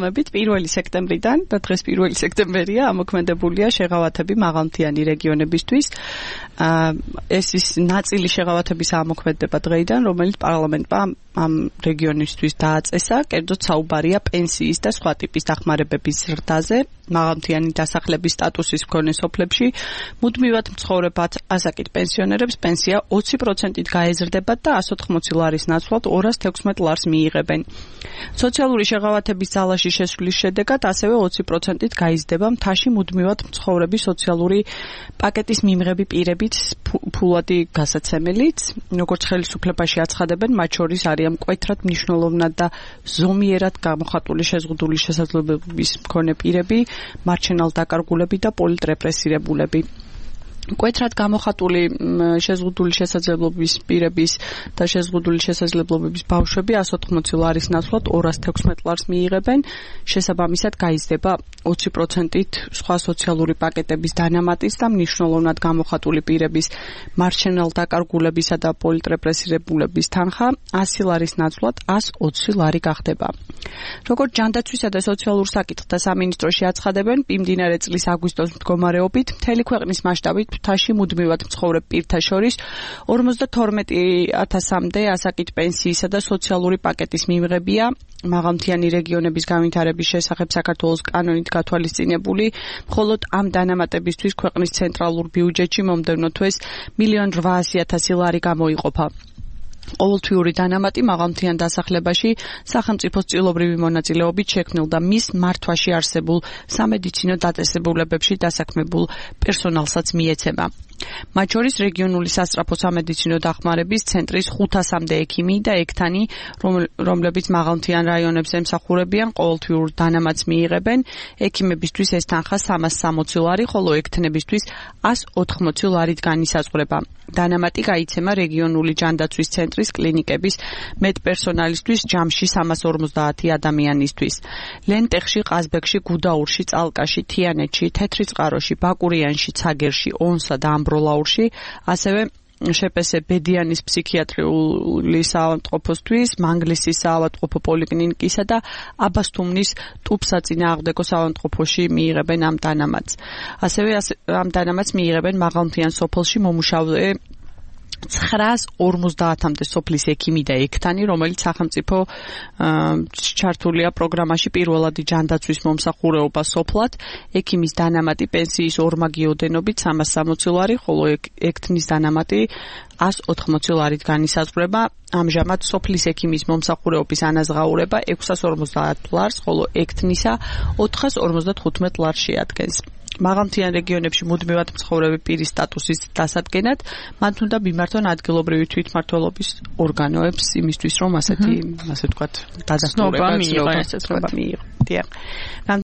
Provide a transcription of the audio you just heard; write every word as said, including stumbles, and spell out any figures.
თანხმობით პირველი სექტემბრიდან და დღეს პირველი სექტემბერია ამოქმედებულია შეღავათები მაღალმთიანი რეგიონებისთვის. ეს ის ნაწილი შეღავათების ამოქმედება დღეიდან, რომელიც პარლამენტმა ამ რეგიონისთვის დააწესა, კერძოდ საუბარია პენსიის და სხვა ტიპის დახმარებების ზრდაზე, მაღალმთიანი დასახლების სტატუსის მქონე სოფლებში მუდმივად მცხოვრებად ასაკით პენსიონერებს პენსია ოცი პროცენტით გაეზრდებათ და εκατს ოთხმოცი ლარის ნაცვლად ორას თექვსმეტ ლარს მიიღებენ. სოციალური შეღავათების ძალაში შესვლის შედეგად ასევე ოცი პროცენტით გაიზრდება მთაში მუდმივად მცხოვრები სოციალური პაკეტის მიმღები პირებით ფულადი გასაცემელიც, როგორც ხელისუფლებაში აცხადებენ, მათ შორის არიან მკვეთრად მნიშვნელოვნად და ზომიერად გამოხატული შეზღუდული შესაძლებლობების მქონე პირები, მარჩენალ დაკარგულები და პოლიტრეპრესირებულები. მკვეთრად გამოხატული შეზღუდული შესაძლებლობის პირების და შეზღუდული შესაძლებლობების ბავშვები εκατს ოთხმოცი ლარის ნაცვლად ორას თექვსმეტ ლარს მიიღებენ, შესაბამისად გაიზრდება ოცი პროცენტით სხვა სოციალური პაკეტების დანამატის და მნიშვნელოვნად გამოხატული პირების მარჩენალ დაკარგულებისა და პოლიტრეპრესირებულების თანხა ასი ლარის ნაცვლად εκατს ოცი ლარი გახდება. როგორც ჯანდაცვისა და სოციალურ საკითხთა სამინისტროში აცხადებენ, მიმდინარე წლის აგვისტოს მდგომარეობით მთელი ქვეყნის მასშტაბით მთაში მუდმივად მცხოვრებ პირთა შორის ორმოცდათორმეტი ათასამდე ასაკით პენსიისა და სოციალური პაკეტის მიმღებია. მაღალმთიანი რეგიონების განვითარების შესახებ საქართველოს კანონით გათვალისწინებული, მხოლოდ ამ დანამატებისთვის ქვეყნის ცენტრალურ ბიუჯეტში მომდევნო თვეს მილიონი რვაასი ათასი ლარი გამოიყოფა. ყოველთვიური დანამატი მაღალმთიან დასახლებაში სახელმწიფოს წილობრივი მონაწილეობით შექმნილ და მის მართვაში არსებულ სამედიცინო დაწესებულებებში დასაქმებულ პერსონალსაც მიეცემა. მათ შორის რეგიონული სასწრაფო სამედიცინო დახმარების ცენტრის ხუთასამდე ექიმი და ექთანი, რომლებიც მაღალმთიან რაიონებს ემსახურებიან, ყოველთვიურ დანამატს მიიღებენ. ექიმებისთვის ეს თანხა სამას სამოცი ლარი, ხოლო ექთნებისთვის εκατს ოთხმოცი ლარით განისაზღვრება. დანამატი გაიცემა რეგიონული ჯანდაცვის ცენტრის კლინიკების მედპერსონალისთვის ჯამში სამას ორმოცდაათი ადამიანისთვის. ლენტეხში, ყაზბეგში, გუდაურში, წალკაში, თიანეთში, თეთრიწყაროში, ბაკურიანში, ცაგერში, ონსა და ამბროლაურში, ასევე შეპესე ბედიანის ფსიქიატრიული საავადმყოფოსთვის, მანგლისის საავადმყოფო პოლიკლინიკისა და აბასთუმნის ტუბსაწინააღმდეგო საავადმყოფოში მიიღებენ ამ დანამატს. ასევე ამ დანამატს მიიღებენ მაღალმთიან სოფელში მომუშავე ცხრაას ორმოცდაათამდე სოფლის ექიმი და ექთანი, რომელიც სახელმწიფო ჩართულია პროგრამაში პირველადი ჯანდაცვის მომსახურეობა სოფლად. ექიმის დანამატი პენსიის ორმაგი ოდენობით სამას სამოცი ლარი, ხოლო ექთნის დანამატი εκατს ოთხმოცი ლარით განისაზღვრება. ამჟამად სოფლის ექიმის მომსახურეობის ანაზღაურება ექვსას ორმოცდაათ ლარს, ხოლო ექთნისა ოთხას ორმოცდათხუთმეტ ლარს შეადგენს. მაღალმთიან რეგიონებში მუდმივად მცხოვრები პირის სტატუსის დასადგენად მათ უნდა მიმართონ ადგილობრივი თვითმმართველობის ორგანოებს იმისთვის, რომ ასეთი, ასე ვთქვათ, დადასტურება, ცნობა მიიღონ.